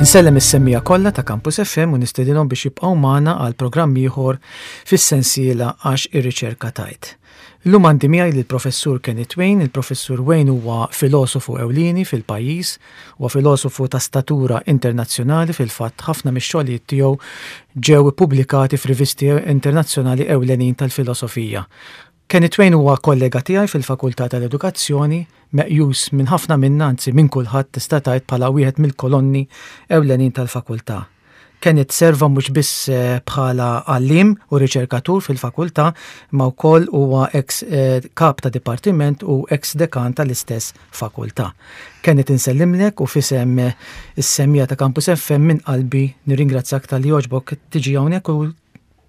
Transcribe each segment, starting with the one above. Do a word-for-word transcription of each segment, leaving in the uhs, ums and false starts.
Insellem is-semmiegħa kollha ta' Campus F M u nistedinhom biex jibqgħu magħna għal programm ieħor fis-sensiela Għax ir-Riċerka Tgħid. Illum għandi miegħi lill-Professur Kenneth Wain. Il-Professur Wain huwa filosofu ewlieni fil-pajjiż, huwa filosofu ta' statura internazzjonali. Fil-fatt, ħafna mix-xogħlijiet tiegħu ġew ippubblikati f'rivisti internazzjonali ewlenin tal-filosofija. Kenneth Wain huwa kollega tiegħi fil-Fakultà tal-Edukazzjoni, meqjus minn ħafna minna, anzi minn kulħadd tista' tgħid, bħala wieħed mill-kolonni ewlenin tal-fakultà. Kenneth serva mhux biss eh, bħala għallim u riċerkatur fil-fakultà, ma wkoll huwa ex eh, kap ta' dipartiment u ex dekan tal-istess fakultà. Kenneth, insellimlek u f'isem eh, is-semmiegħa ta' Campus F M minn qalbi nirringrazzjak talli għoġbok tiġi hawnhekk u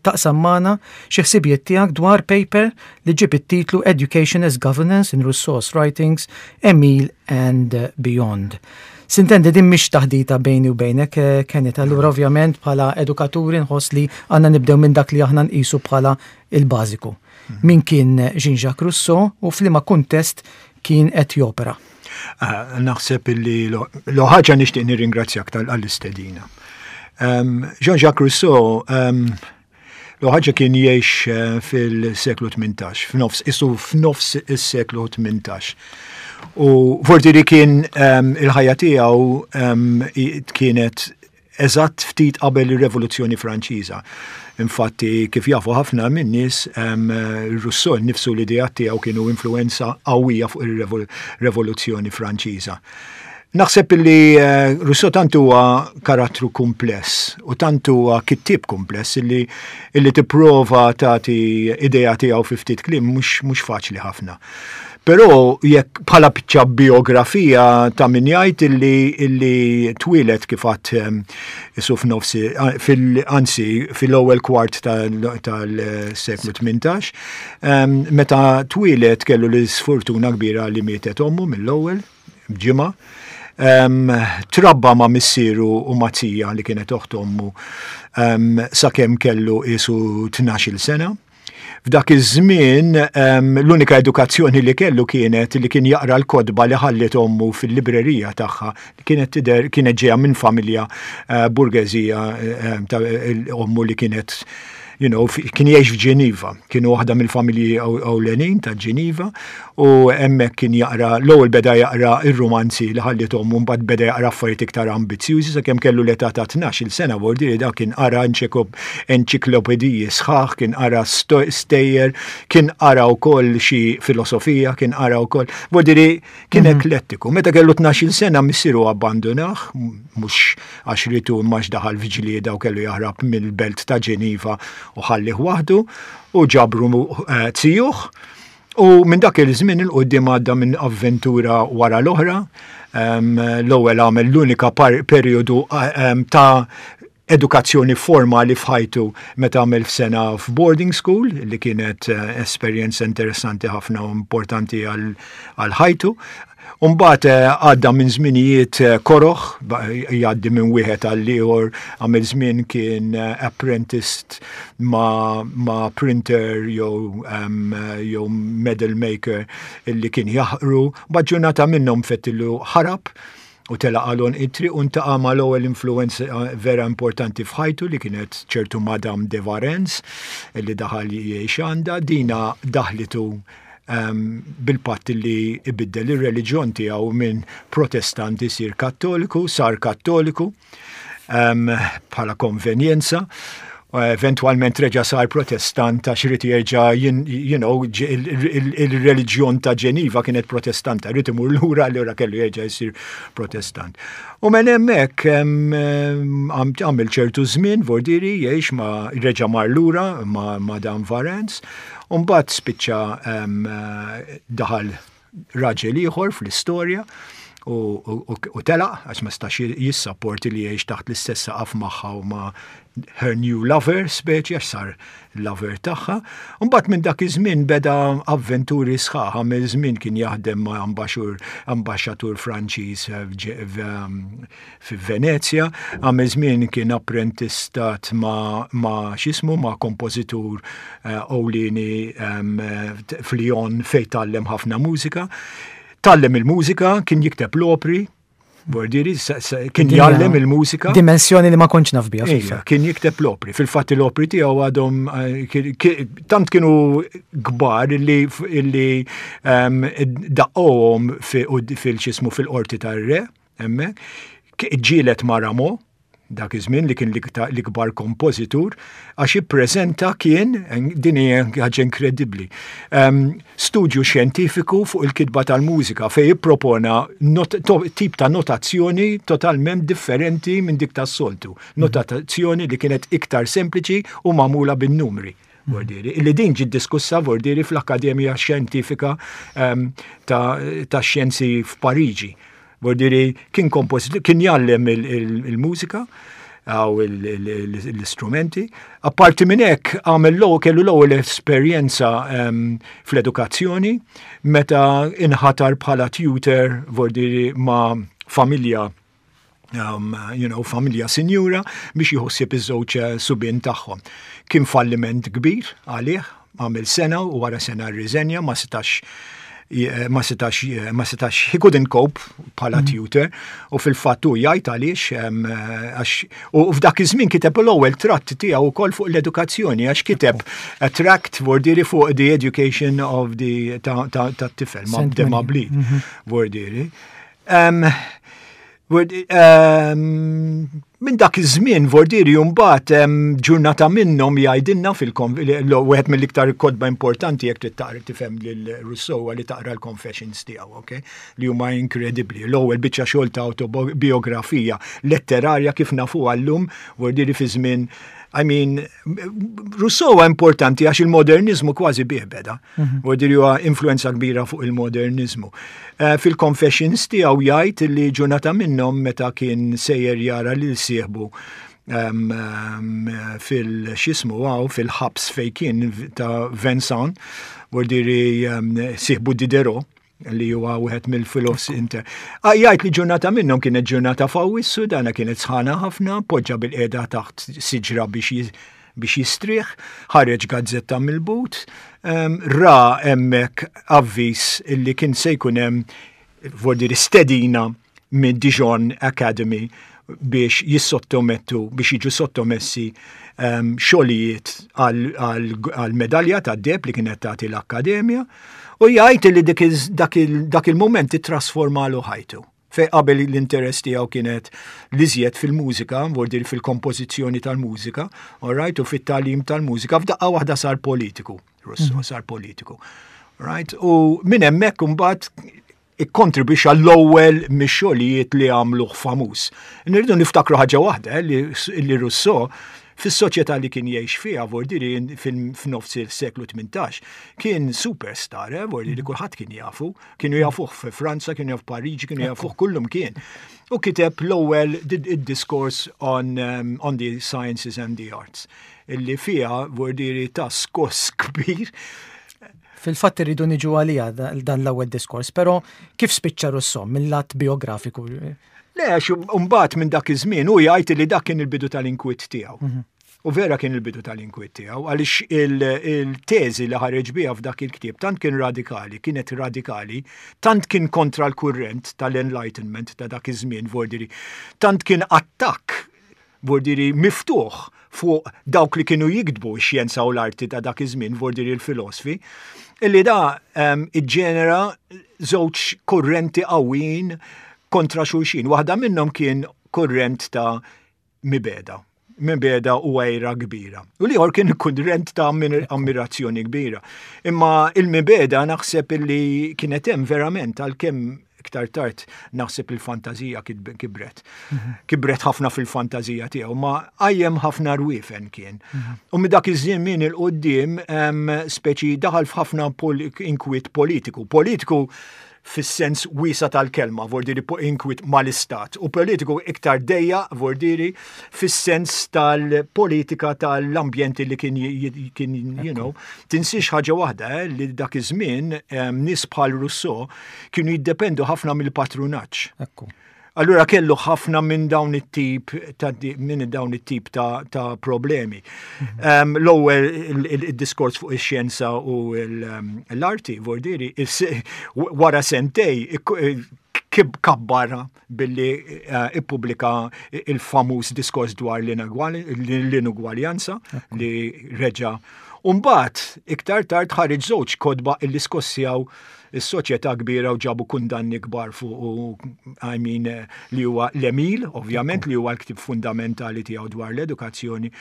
taqsam magħna xi ħsibijiet tiegħek dwar paper li ġib it-titlu "Education as Governance in Rousseau's Writings, Emile and Beyond". Sintendi, din mhix taħdita bejni u bejnek, eh, Kenneth, allura ovvjament bħala edukaturi nħoss li għandna nibdew minn dak li aħna nqisu bħala il-bażiku. Min kien Jean-Jacques Rousseau u f'liema kuntest kien qed jopera? Ah, naħseb illi l ħaġa nixtieq nirringrazzjak tal-istedina. Um, Jean-Jacques Rousseau um, l ħaġa kien jgħix eh, fil-seklu tmintax, f'nofs, isu f'nofs is-seklu tmintax. U forti li kien um, il-ħajja tiegħu um, kienet eżatt ftit qabel ir-Revoluzzjoni Franċiża. Infatti, kif jafu ħafna minn nies, um, Rousseau nifsu, l-idea tiegħu kienu influenza qawwija fuq ir-Revoluzzjoni Franċiża. Naħseb li uh, Rousseau tant huwa karattru kumpless u tant huwa kittieb kumpless illi, illi tipprova tagħti idea tiegħu fi ftit kliem mhux mhux faċli ħafna. Però jekk bħala biċċa biografija, ta' min jgħid illi, illi twieled, kif għedt, isu f'nofsi, fil, anzi fil-ewwel kwart tal-seklu tmintax, meta twieled kellu l-sfortuna kbira li mietet ommu mill-ewwel ġimgħa. Um, trabba ma' missieru u ma' zija li kienet oħt ommu um, sakemm kellu isu tnax-il sena. F'dak iż-żmien um, l-unika edukazzjoni li kellu kienet li kien jaqra l-kotba li ħallit ommu fil-librerija tagħha, li kienet tidher kienet ġejja minn familja uh, burgeżija uh, ta' ommu li kienet you know, kien jgħix f'Ġeniva, kienu waħda mill-familji ewlenin ta' Ġeniva u hemmhekk kien jaqra, l-ewwel beda jaqra ir-romanzi li ħallit ommu, mbagħad beda jaqra affarijiet iktar ambizzjużi sakemm kellu l-età ta' tnax-il sena, vuol da kien qara enċiklopediji sħaħ, kien qara stejjer, kien qara wkoll xi filosofija, kien qara wkoll, vuol kien mhm. eklettiku. Meta kellu tnax-il sena missieru abbandunah, mhux għax ritu imma daħal f'ġlieda u kellu jaħrab mill-belt ta' Ġeniva u ħallih waħdu u ġabru eh, zijuh. U minn dak il-żmien 'il quddiem għadda minn avventura wara l-oħra. L-ewwel għamel l-unika periodu ta' edukazzjoni formali f'ħajtu meta għamel f'sena f'boarding school, li kienet eh, esperjenza interessanti ħafna u importanti għal ħajtu. Umbagħad eh, għadda minn żminijiet eh, koroħ, jgħaddi minn wieħed għal ieħor, għamel żmien kien eh, apprenticed ma, ma printer jew um, jew medal maker illi kien jaħqru, ġurnata minnhom fettillu ħarab u telaq għal għonq it-triq u ltaqa' ma l-ewwel influenza vera importanti f'ħajtu, li kienet ċertu Madame de Varens illi daħal jgħix għandha. Dina daħlitu um, bil-patt li ibiddel ir-reliġjon tiegħu minn Protestant isir Kattoliku, sar Kattoliku um, bħala konvenjenza. Eventualment reġa sar Protestant għax ried jerġa' you know, il-reliġjon ta' Ġeniva kienet Protestanta, ried imur lura, allura kellu jerġa' jsir Protestant. U minn hemmhekk għamil ċertu żmien, vordiri, jgħix ma' reġa' mar lura ma' Madame Varens, u mbagħad spiċċa daħal raġel ieħor fl-istorja u, u, u telaq għax ma stax jissapporti li jgħix taħt l-istess saqaf magħha u ma' her new lover, speċi għax sar lover tagħha. Mbagħad minn dak iż-żmien beda avventuri sħaħ, għamel żmien kien jaħdem ma' ambaxur, ambaxxatur Franċiż fi Venezja, għamel żmien kien apprentistat ma', ma x'jismu, ma' kompożitur uh, ewlieni um, f'Lyon fejn tgħallem ħafna mużika. Tgħallem il-mużika, kien jikteb l-opri, Vordiri, kien jgħallem il-mużika. Dimensjoni li ma kontx naf biha. Ejja, kien jikteb l-opri. Fil-fatt l-opri tiegħu għadhom eh, tant kienu kbar illi illi ehm, daqqohom fil-xismu fil-qorti tar-re, hemmhekk. Ġielet ma' Rameau, dak iż-żmien li kien l-ikbar kompożitur, għax ippreżenta kien, din hija ħaġa inkredibbli, um, studju xjentifiku fuq il-kitba tal-mużika fejn jippropona not, to, tip ta' notazzjoni totalment differenti minn dik tas-soltu. Notazzjoni li kienet iktar sempliċi u magħmula bin-numri. Vordiri, illi din ġiet diskussa vordiri fl-Akkademja Xjentifika um, ta', ta xjenzi f'Pariġi. Vordiri kien kompożitur, kien jgħallem il-mużika għaw l-istrumenti. Apparti minn hekk għamel l kellu l-ewwel esperjenza fl-edukazzjoni meta inħatar bħala tutor vordiri ma' familja um, you know, familja sinjura biex jieħu ħsieb iż-żewġ subien tagħhom. Kien falliment kbir għalih, għamel sena u wara sena rriżenja, ma setax ma setax ma setax he couldn't cope bħala mm. tutor u fil-fatt hu jgħid għaliex għax u f'dak iż-żmien kiteb l-ewwel tratt tiegħu wkoll fuq l-edukazzjoni għax kiteb a tract vordiri fuq the education of the ta' tifel ma' de Mably mhm. vordiri. Minn dak iż-żmien vordiri mbagħad ġurnata minnhom jgħidilna fil wieħed mill-iktar kotba importanti jekk trid taqra tifhem lil Rousseau li taqra l-Confessions tiegħu, okay? Li huma inkredibbli. L-ewwel biċċa xogħol ta' autobiografija letterarja kif nafu llum vordiri fi żmien, I mean, Rousseau huwa importanti għax il-modernizmu kważi bih beda. Mhm. Vordiri huwa influenza kbira fuq il-modernizmu. Eh, fil-Confessions tiegħu jgħid li ġurnata minnhom meta kien sejjer jara lil sieħbu um, um, fil-xismu għaw, fil-ħabs fej kien ta' Vincennes, vordiri um, sieħbu Diderot, li huwa wieħed mill-filosofi inter. Ah, jgħid li ġurnata minnhom kienet ġurnata f'Awwissu, dana kienet sħana ħafna, poġġa bil-qiegħda taħt siġra biex biex jistrieħ, ħareġ gazzetta mill-but, um, ra hemmhekk avviż illi kien se jkun hemm vordiri stedina minn Dijon Academy biex jissottomettu, biex jiġu sottomessi um, xogħlijiet għal medalja ta' deheb li kienet tagħti l-Akkademja u jgħid li dak il-moment ittrasformalu ħajtu. Fej qabel l-interess tiegħu kienet l-iżjed fil-mużika, vordir fil-kompożizzjoni tal-mużika, all right, u fit-tagħlim tal-mużika, f'daqqa waħda sar politiku, Rousseau mm. sar politiku. Right? U minn hemmhekk imbagħad ikkontribwixxa l-ewwel mix-xogħlijiet li għamluh famuż. Nirridu niftakru ħaġa waħda eh, li, li Rousseau fis-soċjetà li kien jgħix fiha vordiri f'nofs il-seklu tmintax kien superstar, eh, vordiri kulħadd kien jafu, kienu jafuh fi Franza, kienu jafu Pariġi, kienu jafuh kullum kien. U kiteb l-ewwel id-discourse on, um, on the sciences and the arts illi fiha vordiri ta' skoss kbir. Fil-fatt irridu niġu għalija dan l-ewwel diskors, però kif spiċċa Rousseau mill-lat biografiku? Le, għax mbagħad minn dak iż-żmien u jgħid li dak kien il-bidu tal-inkwiet tiegħu. Mhm. U vera kien il-bidu tal-inkwiet tiegħu għaliex il-teżi li ħareġ biha f'dak il-ktieb tant kien radikali, kienet radikali, tant kien kontra l-kurrent tal-Enlightenment ta' dak iż-żmien vordiri, tant kien attakk vordiri miftuħ fuq dawk li kienu jiktbu x-xjenza u l-arti ta' dak iż-żmien vordiri l-filosfi, illi da um, iġġenera żewġ kurrenti qawwin kontra xulxin. Waħda minnhom kien kurrent ta' mibegħda. Mibegħda u għira kbira. U l-ieħor kien kurrent ta' ammirazzjoni kbira. Imma il-mibegħda naħseb illi kienet hemm verament għalkemm iktar tard naħseb il-fantazija kibret. Mhm. Kibret ħafna fil-fantazija tiegħu, ma qajjem ħafna rwifen kien. Mhm. U minn dak iż-żmien 'il quddiem speċi daħal f'ħafna inkwiet politiku. Politiku fis-sens wiesa tal-kelma, vordiri inkwiet mal-istat, u politiku iktar dejja, vordiri fis-sens tal-politika tal-ambjenti li kien, kien you know, tinsiex ħaġa waħda, eh, li dak iż-żmien nies bħal Rousseau kienu jiddependu ħafna mill-patrunaġġ. Allura kellu ħafna minn dawn it-tip ta' minn dawn it-tip ta', ta problemi. Um, L-ewwel il-diskors fuq ix-xjenza u l-arti, vordiri, wara sentej kib kabbarha billi eh, ippubblika il-famuż diskors dwar l-inugwaljanza li reġa. Umbagħad, iktar tard, ħareġ żewġ kotba illi skossjaw is-soċjetà kbira u ġabu kundanni kbar fuq u, I mean, eh, li huwa l-Emile, ovvjament, li huwa l-ktib fundamentali tiegħu dwar l-edukazzjoni,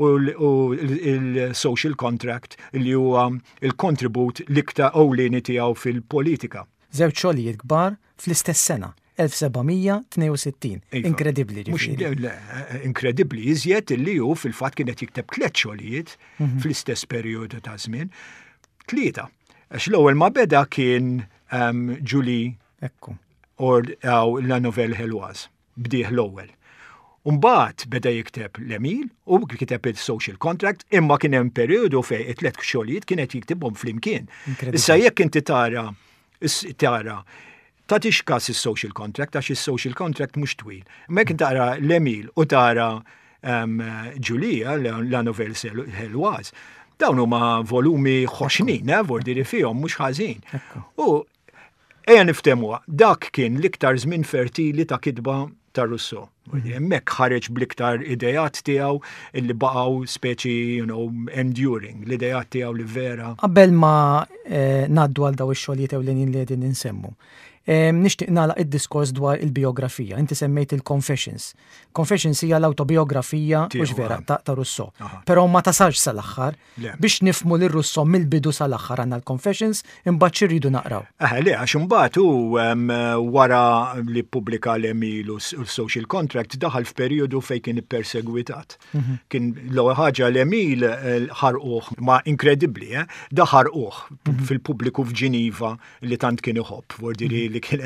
u il-Social Contract, li huwa il-kontribut l-iktar ewlieni tiegħu fil-politika. Żewġ xogħlijiet kbar fl-istess sena, elf seba' mija tnejn u sittin. Iva. Inkredibbli. Mhux ġifieri. Le, inkredibbli iżjed illi hu fil-fatt kienet jikteb tliet xogħlijiet fl-istess perjodu ta' żmien. Tlieta. Għax l-ewwel ma beda kien um, Julie Ekku. or uh, La Nouvelle Heloise. Bdieh l-ewwel. Umbagħad beda jikteb l-Emile u kiteb il-Social Contract, imma kien hemm perjodu fejn it-tliet xogħlijiet kienet jiktibhom flimkien. Inkredibbli. Issa jekk inti tara is- tara tagħtix kas is-Social Contract, għax is-Social Contract mhux twil. Imma jekk tara l-Emile u tara um, Julia, la, la Nouvelle Heloise, dawn huma volumi ħoxnin, eh, vordiri fihom mhux ħażin. U ejja niftemuha, dak kien l-iktar żmien fertili ta' kitba ta' Rousseau. Hemmhekk ħareġ bl-iktar idejat tiegħu illi baqgħu speċi, you know, enduring, l-idejat tiegħu li vera. Qabel ma eh, ngħaddu għal daw ix-xogħlijiet ewlenin li qegħdin insemmu. Eh, nixtieq nagħlaq id-diskors dwar il-biografija. Inti semmejt il-Confessions. Confessions hija l-autobiografija, Tiegħu, mhux vera, ah. ta', ta' Rousseau. Aha. Però ma tasalx sal-aħħar. Le. Biex nifhmu lil Rousseau mill-bidu sal-aħħar, għandna l-Confessions, imbagħad xi rridu naqraw? Eh, le, għax imbagħad hu em, wara li ppubblika l-Emile u s- u l-Social Contract daħal f'perjodu fejn kien ippersegwitat. Kien l-ewwel ħaġa, l-Emile eh, ħarquh, ma inkredibbli, eh? Da ħarquh fil-pubbliku f'Ġiniva li tant kien iħobb, vordiri li kien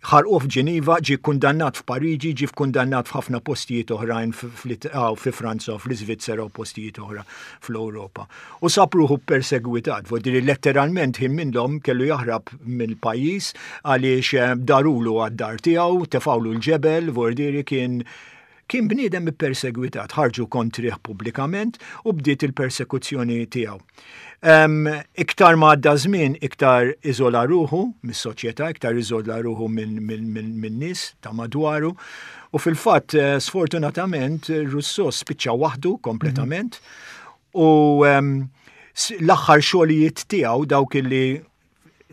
ħarquh f'Ġiniva, ġie kundannat f'Pariġi, ġie kundannat f'ħafna postijiet oħrajn fi Franza, fl-Iżvizzera u postijiet oħra fl-Ewropa. U sab ruħu persegwitat, vordiri letteralment ħin minnhom kellu jaħrab mill-pajjiż għaliex eh, darulu għad-dar tiegħu, tefawlu l-ġebel, vordiri kien kien bniedem ippersegwitat, ħarġu kontrih pubblikament u bdiet il-persekuzzjoni tiegħu. Um, iktar ma għadda żmien, iktar iżola ruħu mis-soċjetà, iktar iżola ruħu minn min, min, min nies ta' madwaru. U fil-fatt, eh, sfortunatament, Rousseau spiċċa waħdu kompletament. U um, l-aħħar xogħlijiet tiegħu, dawk li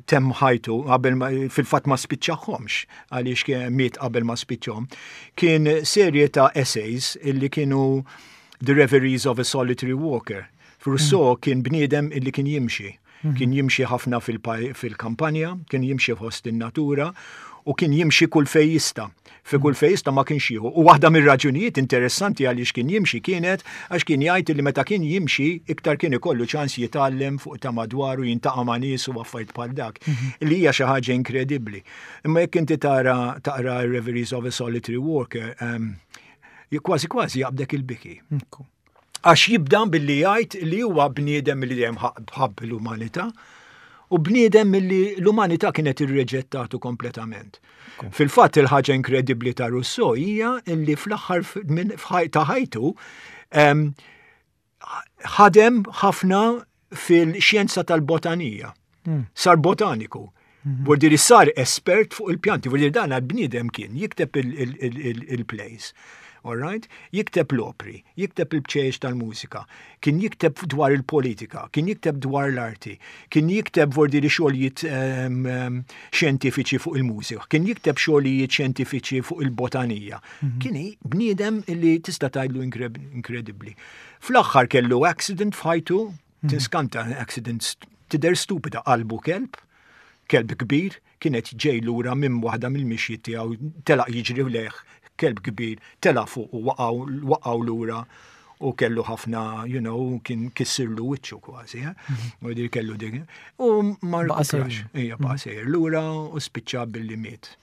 temm ħajtu qabel ma, fil-fatt ma spiċċahomx għaliex kien miet qabel ma spiċċhom, kien serje ta' essays illi kienu The Reveries of a Solitary Walker. Rousseau kien bniedem illi kien jimxi. Kien jimxi ħafna fil-kampanja, kien jimxi fost in-natura u kien jimxi kull fej jista'. Fi kull fej jista' ma kienx jieħu. U waħda mir-raġunijiet interessanti għaliex kien jimxi kienet għax kien jgħid li meta kien jimxi iktar kien ikollu ċans jitgħallem fuq ta' madwaru, jiltaqa' ma' nies u affarijiet bħal dak. Li hija xi ħaġa inkredibbli. Imma jekk inti tara taqra Reveries of a Solitary Walker, um, kważi kważi jaqbdek il-biki. Għax jibda billi jgħid li huwa bniedem li dejjem ħabb l-umanità u bniedem li l-umanità kienet irreġettatu kompletament. Fil-fatt, il-ħaġa inkredibbli ta' Rousseau hija li fl-aħħar ta' ħajtu ħadem ħafna fil-xjenza tal-botanija. Hmm. Sar botaniku. Mhm. Vordiri sar espert fuq il-pjanti, vordiri dan għal-bniedem kien jikteb il-plays. All right? Jikteb l-opri, jikteb il-bċejjeċ tal-mużika, kien jikteb dwar il-politika, kien jikteb dwar l-arti, kien jikteb, vordiri, xogħlijiet um, um, xjentifiċi fuq il-mużika, kien jikteb xogħlijiet xjentifiċi fuq il-botanija. Mm -hmm. Kien bniedem illi tista' tgħidlu inkredibbli. Fl-aħħar kellu accident f'ħajtu, mm -hmm. tiskanta, accident tidher stupida, qalbu kelb, kelb kbir, kienet ġej lura minn waħda mill-mixjiet tiegħu, telaq jiġri lejh kelb kbir, tela fuq u waqgħu lura u kellu ħafna, you know, kien kissirlu wiċċu kważi, eh? Mhm. U dir kellu dik. U ma rkuprax, ija, baqa' sejjer lura u spiċċa billi miet.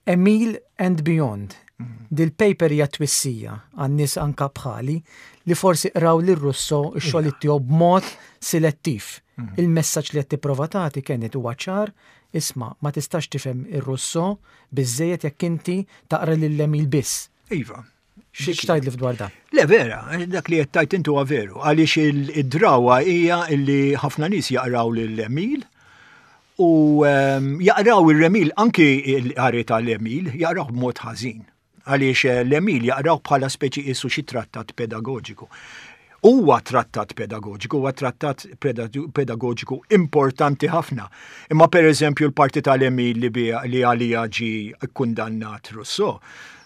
Emile and Beyond. Mhm. Dil-paper hija twissija għan-nies anka bħali li forsi qraw lil Rousseau x-xogħol tiegħu b'mod selettiv. Mhm. Il-messaġġ li qed tipprova tagħti kienet huwa ċar: isma', ma tistax tifhem ir-Rousseau biżejjed jekk inti taqra lil Emile biss. Iva. X'tgħidli dwar dan? Le, vera, dak li qed tgħid intu huwa veru, għaliex id-drawa hija li ħafna nies jaqraw lil Emile U um, jaqraw ir-Emil, anki l-qari tal-Emil, jaqraw b'mod ħażin. Għaliex eh, l-Emil jaqraw bħala speċi qisu xi trattat pedagogiku. Huwa trattat pedagogiku, huwa trattat pedagogiku importanti ħafna. Imma per eżempju l-parti tal-Emil li, li għalija ġi kundannat Rousseau,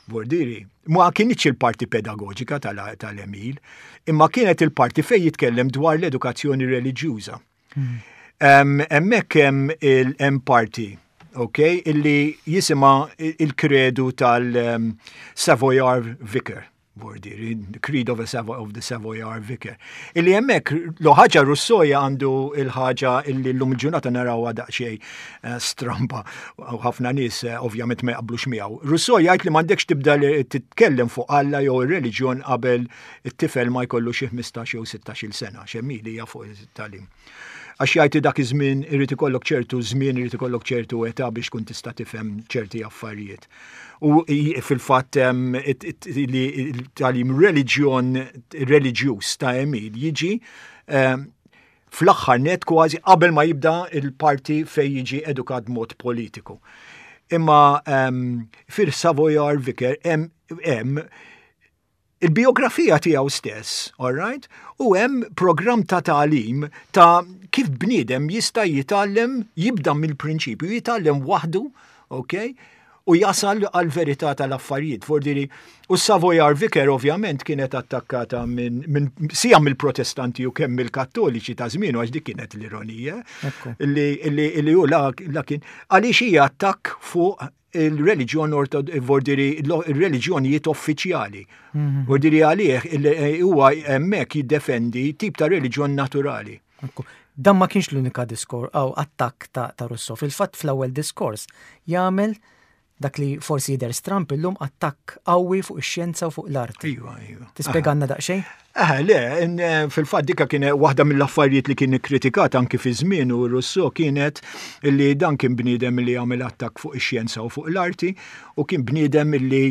Vordiri, ma kienx il-parti pedagogika tal-Emil, imma kienet il-parti fej jitkellem dwar l-edukazzjoni reliġjuża. Hmm. Hemmhekk hemm il-hemm parti, ok, illi jisimha il-kredu tal-Savoyard Vicar. Vordiri, Creed of, a Savo of the Savoyard Vicar. Illi hemmhekk l-ħaġa Rousseau għandu il-ħaġa illi l-lum il-ġurnata narawha daqsxejn eh, stramba u ħafna nies eh, ovvjament ma jaqblux miegħu. Rousseau jgħid li m'għandekx tibda titkellem fuq Alla jew ir-reliġjon qabel it-tifel ma jkollu xi ħmistax jew sittax-il sena, x'Emil hija fuq it-tagħlim. Għax jgħid dak iż-żmien irid ikollok ċertu żmien, irid ikollok ċertu età biex tkun tista' tifhem ċerti affarijiet. U fil-fatt li tagħlim reliġjon reliġjuż ta' Emil jiġi fl-aħħar net kważi qabel ma jibda il-parti fej jiġi edukat mod politiku. Imma fil-Savoyard Vicar hemm il-biografija tiegħu stess, all right? U hemm programm ta' tagħlim ta' kif bniedem jista' jitgħallem, jibda mill-prinċipju, jitgħallem waħdu, ok? U jasal għal verità tal-affarijiet. Vordiri, u Savoyard Vicar ovvjament kienet attakkata minn min, sija mill-Protestanti u kemm mill-Kattoliċi ta' żmienu, għax dik kienet l-ironija. Li, li, li hu la, la kien għaliex hija attakk fuq il-reliġjon, vordiri il-reliġjonijiet uffiċjali. Mhm. Vordiri għalih huwa hemmhekk jiddefendi tip ta' reliġjon naturali. Dan ma kienx l-unika diskors aw attakk ta', ta' Rousseau. Fil-fatt fl-ewwel diskors jagħmel dak li forsi jidher stramp illum, attakk qawwi fuq ix-xjenza u fuq l-arti. Iva, iva. Tispjegalna daqsxejn? Eh, le, fil-fatt dika kien waħda mill-affarijiet li kien ikkritikat anki fi żmien u Rousseau kienet li dan kien bniedem li għamel attakk fuq ix-xjenza u fuq l-arti u kien bniedem li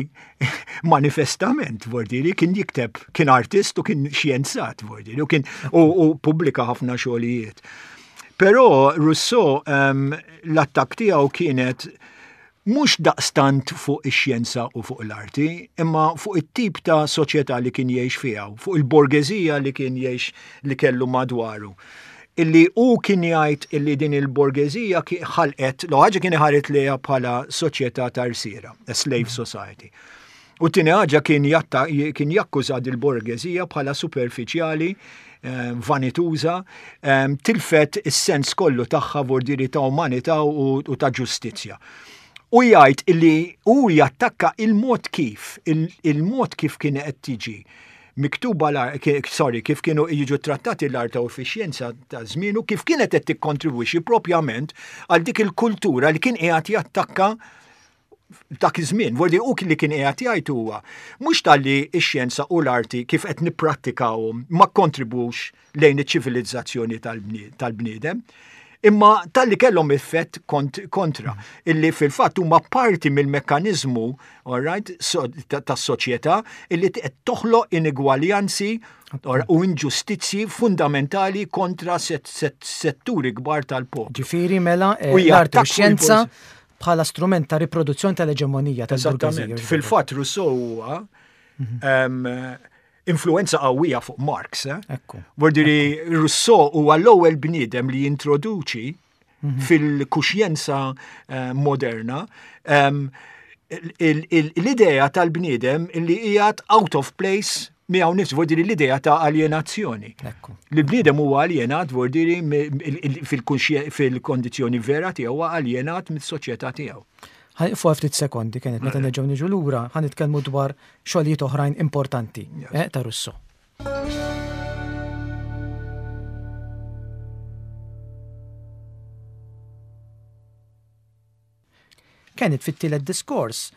manifestament, vordiri, kien jikteb, kien artist u kien xjenzat, vordiri, u kien u pubblika ħafna xogħlijiet. Però Rousseau um, l-attakk tiegħu kienet mhux daqstant fuq ix-xjenza u fuq l-arti, imma fuq it-tip ta' soċjetà li kien jgħix fiha, fuq il-borgeżija li kien jgħix li kellu madwaru. Illi hu kien jgħid illi din il-borgeżija ħalqet, l ħaġa kien iħaret lejha bħala soċjetà ta' rsiera, a slave society. U tieni ħaġa kien jatta, kien jakkuża il-borgeżija bħala superfiċjali, eh, vanituża, eh, tilfet is-sens kollu tagħha, vordiri, ta' umanità u, u ta' ġustizzja. U jgħid illi hu jattakka il-mod kif, il-mod kif kien qed tiġi miktuba, sorry, kif kienu jiġu trattati l-arta u fix-xjenza ta' żmienu, kif kienet qed tikkontribwixxi propjament għal dik il-kultura li kien qiegħed jattakka dak iż-żmien. Vordi u li kien qiegħed jgħid huwa mhux talli x-xjenza u l-arti kif qed nipprattikawhom ma kontribwux lejn iċ-ċivilizzazzjoni tal-bniedem, imma talli kellhom effett kont kontra, illi fil-fatt huma parti mill-mekkaniżmu, all right, so, tas-soċjetà illi qed toħloq inegwaljanzi u inġustizzji fundamentali kontra set, set, setturi kbar tal-poplu. Ġifieri mela eh, l-arti u x-xjenza bħala strument ta' riproduzzjoni tal-eġemonija tal-burgeżija. Fil-fatt Rousseau huwa mhm. influenza qawwija fuq Marx. Eh? Ekku. Vordiri Rousseau huwa l-ewwel bniedem li jintroduċi mhm. fil-kuxjenza eh, moderna l-idea tal-bniedem li qiegħed out of place miegħu nifsu, vordiri l-idea ta' alienazzjoni. Li bniedem huwa aljenat, vordiri fil-kondizzjoni vera tiegħu huwa aljenat mis-soċjetà tiegħu. Ħa nieqfu ftit sekondi, kienet meta nerġgħu niġu lura ħa nitkellmu dwar xogħlijiet oħrajn importanti eh, ta' Rousseau. Kienet fit-tielet diskors,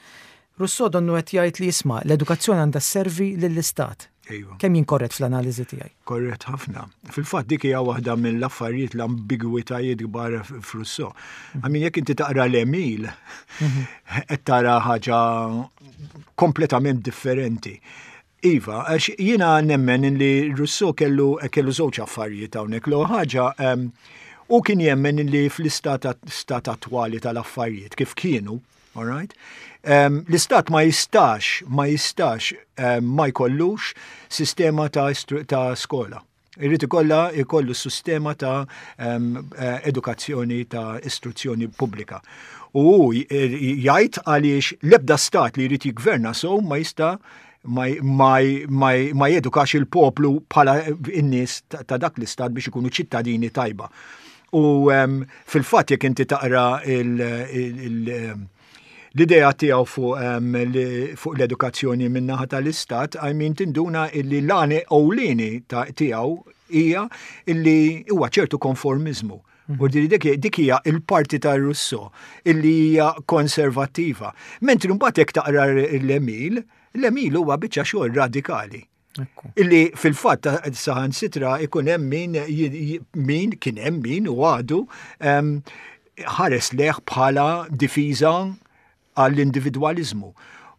Rousseau donnu qed jgħid li jisma' l-edukazzjoni għandha sservi lill-istat. Ejwa. Kemm jien korrett fl-analiżi tiegħi? Korrett ħafna. Fil-fatt dik hija waħda mill-affarijiet, l-ambigwitajiet kbar f'Rousseau. Għamin jekk inti taqra l-Emil, qed tara ħaġa kompletament differenti. Iva, għax jiena nemmen li Rousseau kellu kellu żewġ affarijiet hawnhekk. L-ewwel ħaġa, U kien jemmen li fl-istat stat attwali tal-affarijiet kif kienu, all right? Um, l-istat ma jistax, ma jistax um, ma jkollux sistema ta', ta' skola. Irrid ikolla jkollu sistema ta' um, edukazzjoni ta' istruzzjoni pubblika. U jgħid għaliex l-ebda stat li jrid jigverna so ma jista' ma, ma, ma, ma jedukax il-poplu bħala in-nies ta' dak l-istat biex ikunu ċittadini tajba. U um, fil-fatt jekk inti taqra il, il, il, l-idea tiegħu fuq um, fuq l-edukazzjoni min-naħa tal-istat, I mean tinduna illi l-għan ewlieni tiegħu hija illi huwa ċertu konformizmu. U dik dik hija il-parti ta' Rousseau illi hija konservattiva. Mentri mbagħad jekk taqra l-Emil, l-Emil huwa biċċa xogħol radikali. Illi fil-fatt saħansitra ikun hemm min min kien hemm min u għadu ħares lejh bħala difiża għall-individwaliżmu.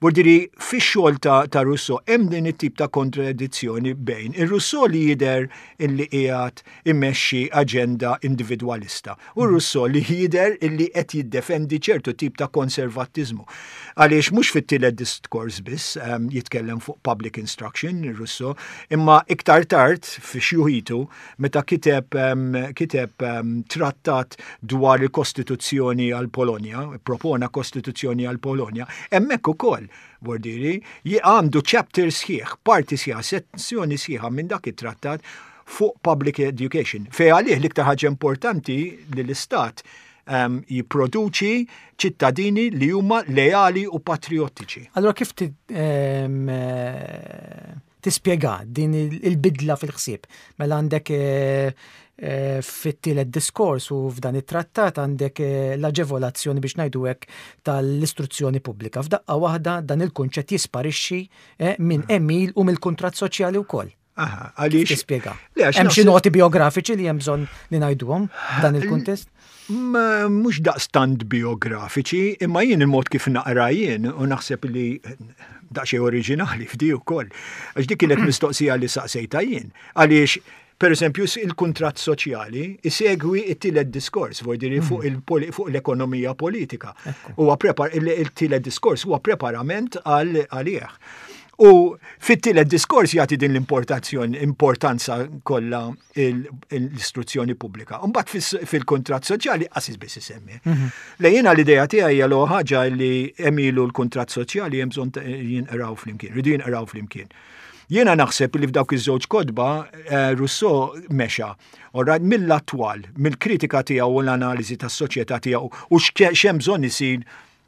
Vuldiri, fix-xogħol ta', ta' Rousseau hemm din it-tip ta' kontradizzjoni bejn ir-Rousseau li jidher illi qiegħed immexxi aġenda individwalista u Rousseau li jidher illi qed jiddefendi ċertu tip ta' konservattiżmu. Għaliex mhux fit-tielet diskors biss um, jitkellem fuq public instruction Rousseau, imma iktar tard fi xjuħitu meta kiteb um, kiteb um, trattat dwar il-Kostituzzjoni għal Polonja, propona Kostituzzjoni għal Polonja, hemmhekk ukoll Vuldiri, għandu chapter sħiħ, parti sħiħa, sezzjoni sħiħa minn dak it-trattat fuq public education. Fej għalih l-iktar ħaġa importanti li l-istat um, jipproduċi ċittadini li huma leali u patriottiċi. Allora kif ti, um, tispjega din il-bidla fil-ħsieb? Mela għandek eh, eh, fit-tielet diskors u f'dan it-trattat għandek eh, l-aġevolazzjoni biex ngħidu hekk tal-istruzzjoni pubblika. F'daqqa waħda dan il-kunċett jisparixxi minn Emil u mill-kuntratt soċjali wkoll. Aha, għaliex. Tispjega. Hemm xi noti biografiċi li hemm bżonn li ngħiduhom f'dan il-kuntest? Ma mhux daqstant biografiċi, imma jien il-mod kif naqra jien u naħseb li daqsxejn oriġinali f'di wkoll. Għax dik kienet mistoqsija li saqsejta jien. Għaliex, per eżempju, il-kuntratt soċjali isegwi it-tielet diskors, vuldiri fuq fuq l-ekonomija politika. Huwa prepar il-tielet diskors huwa preparament għalih. U fit-tielet diskors jagħti din l-importazzjoni, importanza kollha l-istruzzjoni pubblika. Mbagħad fil-kuntratt soċjali qas biss isemmi. Le jiena l-idea tiegħi hija l ħaġa li Emilu l-kuntratt soċjali hemm bżonn jinqraw flimkien, ridu jinqraw flimkien. Jiena naħseb li f'dawk iż-żewġ kotba Rousseau mexa Alright, mill-attwal, mill-kritika tiegħu u l-analiżi tas-soċjetà tiegħu u x'hemm bżonn isir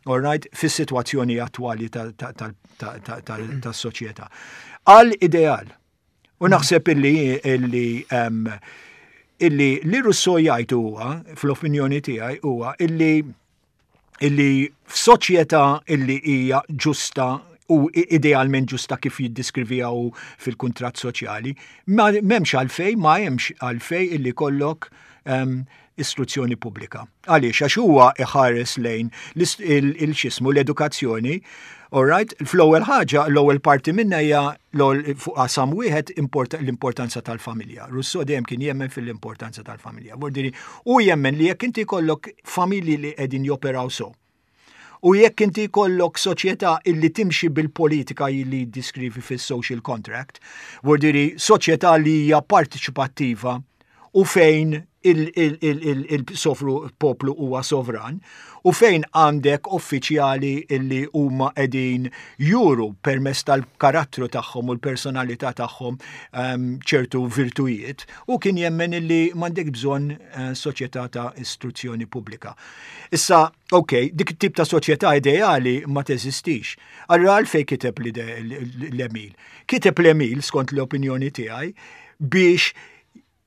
alright, fis-sitwazzjoni attwali tas-soċjetà. Għal ideal. U naħseb illi illi illi li Rousseau jgħid huwa, fl-opinjoni tiegħi huwa illi illi f'soċjetà illi hija ġusta u idealment ġusta kif jiddeskriviha fil-kuntratt soċjali, ma m'hemmx għalfej, ma hemmx għalfej illi kollok um, istruzzjoni pubblika. Għaliex, għax huwa iħares lejn il-xismu l-edukazzjoni, all right, fl-ewwel ħaġa, l-ewwel parti minna hija fuq qasam wieħed l-importanza tal-familja. Rousseau dejjem kien jemmen fil-importanza tal-familja. Vuldiri, u jemmen li jekk inti jkollok familji li qegħdin joperaw so. U jekk inti jkollok soċjetà illi timxi bil-politika li diskrivi fis-social contract, vuldiri soċjetà li hija partiċipattiva u fejn il-sofru poplu huwa sovran u fejn għandek uffiċjali illi huma qegħdin juru permezz tal-karattru tagħhom u l-personalità tagħhom ċertu virtujiet u kien jemmen illi m'għandek bżonn soċjetà ta' istruzzjoni pubblika. Issa, ok, dik it-tip ta' soċjetà ideali ma teżistix. Allura għalfejn kiteb l-Emil? Kiteb l-Emil, skont l-opinjoni tiegħi, biex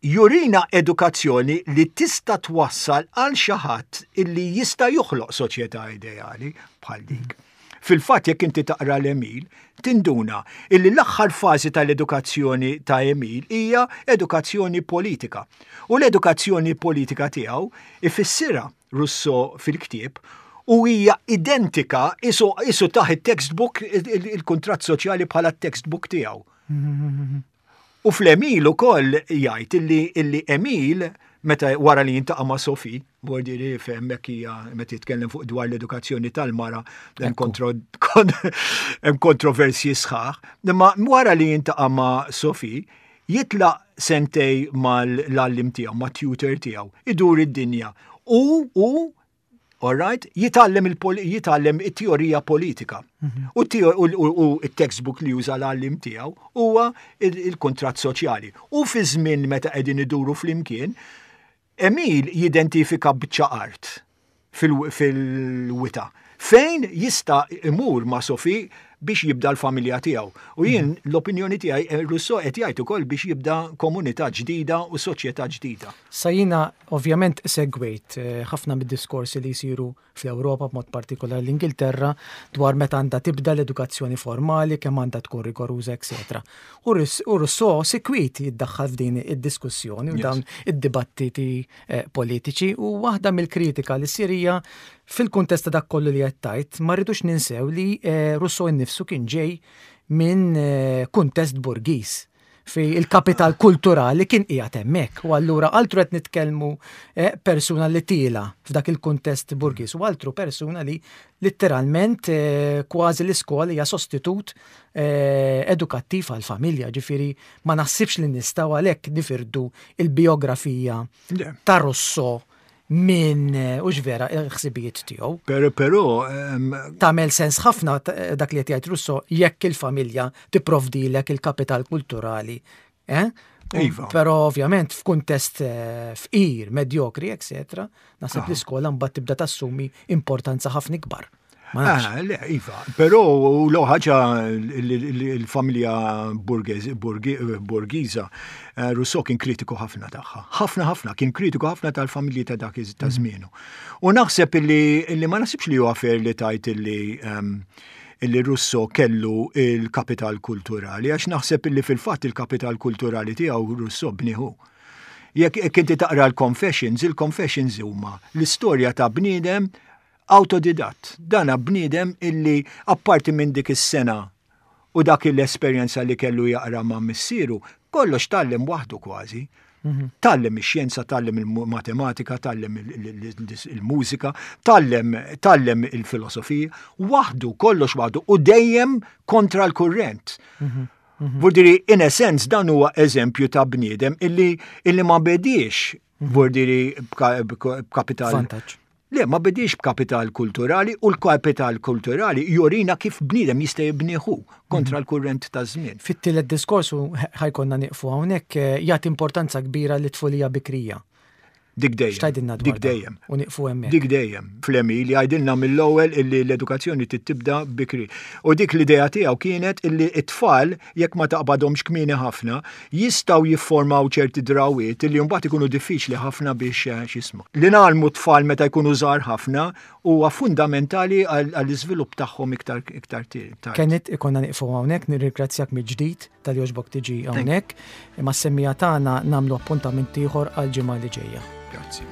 jurina edukazzjoni li tista' twassal għal xi ħadd illi jista' joħloq soċjetà ideali bħal dik. Fil-fatt jekk inti taqra l-Emil, tinduna illi l-aħħar fażi tal-edukazzjoni ta' Emil hija edukazzjoni politika. U l-edukazzjoni politika tiegħu ifissirha Rousseau fil-ktieb u hija identika isu, isu taħ it-textbook il-kuntratt soċjali bħala textbook tiegħu. U fl-Emil ukoll jgħid illi, illi Emil Meta wara li jiltaqa' ma' Sophie, vuldiri hemmhekk hija meta jitkellem fuq dwar l-edukazzjoni tal-mara, hemm kontro- kon- hemm kontroversji sħaħ, imma wara li jiltaqa' ma' Sophie, jitlaq sentejn mal-għalliem tiegħu, ma' tutor tiegħu, idur id-dinja. U, u, all right, jitgħallem il-pol- jitgħallem it-teorija politika. U teo- u u- u il-textbook li juża l-għalliem tiegħu huwa il- il-kontratt soċjali. U fi żmien meta qegħdin iduru flimkien, Emil jidentifika biċċa art fil- fil-wita. Fejn jista' imur ma' Sophie biex jibda l-familja tiegħu. U jien l-opinjoni tiegħi eh, Rousseau qed jgħid ukoll biex jibda komunità ġdida u soċjetà ġdida. Sa jiena ovvjament segwejt eh, ħafna mid-diskorsi li jsiru fl-Ewropa, b'mod partikolari l-Ingilterra, dwar meta għandha tibda l-edukazzjoni formali, kemm għandha tkun rigoruża, eċetera. U Rus- U Rousseau sikwit jiddaħħal f'din id-diskussjoni u Yes. dawn id-dibattiti eh, politiċi, u waħda mill-kritika li ssir hija fil-kuntest ta' dak kollu li qed tgħid, ma rridux ninsew li eh, Rousseau innifsu kien ġej minn eh, kuntest burgis fi il-kapital kulturali kien qiegħed hemmhekk. U allura altru qed nitkellmu eh, persuna li tila f'dak il-kuntest burgis u altru persuna li letteralment eh, kważi l-iskola hija sostitut eh, edukattiv għal-familja, ġifieri ma naħsibx li nistgħu għalhekk nifirdu il-biografija Le. ta' Rousseau minn eh, u vera il-ħsibijiet tiegħu. Pero, però, em, Tagħmel sens ħafna ta- dak li qed jgħid Rousseau jekk il-familja tipprovdilek il-kapital kulturali. Eh? U- Iva. Però ovvjament f'kuntest eh, fqir, medjokri, eccetera, naħseb Ah. l-iskola mbagħad tibda tassumi importanza ħafna ikbar. Ma nafx. Ah, le, iva. Però u l ħaġa il-familja borgiza, eh, Rousseau kien kritiku ħafna tagħha. Ħafna ħafna, kien kritiku ħafna tal-familji ta' dak iż- ta' żmienu. U naħseb illi, illi ma naħsibx li huwa fair li tgħid illi em, illi Rousseau kellu il-kapital kulturali, għax naħseb illi fil-fatt il-kapital kulturali tiegħu Rousseau bnieh hu. Jekk jekk inti taqra l-Confessions, il-Confessions huma l-istorja ta' bniedem autodidatt. Dana bniedem illi apparti minn dik is-sena u dak l-esperjenza li kellu jaqra ma' missieru, kollox tgħallem waħdu kważi. Tgħallem ix-xjenza, tgħallem il-matematika, tgħallem il-mużika, tgħallem tgħallem il-filosofija, waħdu, kollox waħdu u dejjem kontra l-kurrent. Vurdiri, in a sense, dan huwa eżempju ta' bniedem illi, illi ma bediex, vurdiri, b'kapital. Vantaġġ. Le, ma bediex b'kapital kulturali u l-kapital kulturali jurina kif bniedem jista' jibnih hu kontra l-kurrent ta' żmien. Fit-tielet diskorsu ħa jkollna nieqfu hawnhekk eh, jagħti importanza kbira lit-tfulija bikrija. Dik dejjem. X'tgħidilna dwar Dik dan? dejjem. U nieqfu hemmhekk. Dik dejjem. Fl-Emil jgħidilna mill-ewwel illi l-edukazzjoni tibda bikri. U dik l-idea tiegħu kienet illi it-tfal jekk ma taqbadhomx kmieni ħafna jistgħu jiffurmaw ċerti drawiet illi mbagħad ikunu diffiċli ħafna biex eh, x'ismu. Li ngħallmu tfal meta jkunu żgħar ħafna huwa fundamentali għall-iżvilupp tagħhom iktar iktar tard. Kenneth, ikollna nieqfu hawnhekk, nirringrazzjak mill-ġdid talli għoġbok tiġi hawnhekk. Mas-semmiegħa tagħna nagħmlu appuntament ieħor għal ġimgħa li ġejja. Grazzi.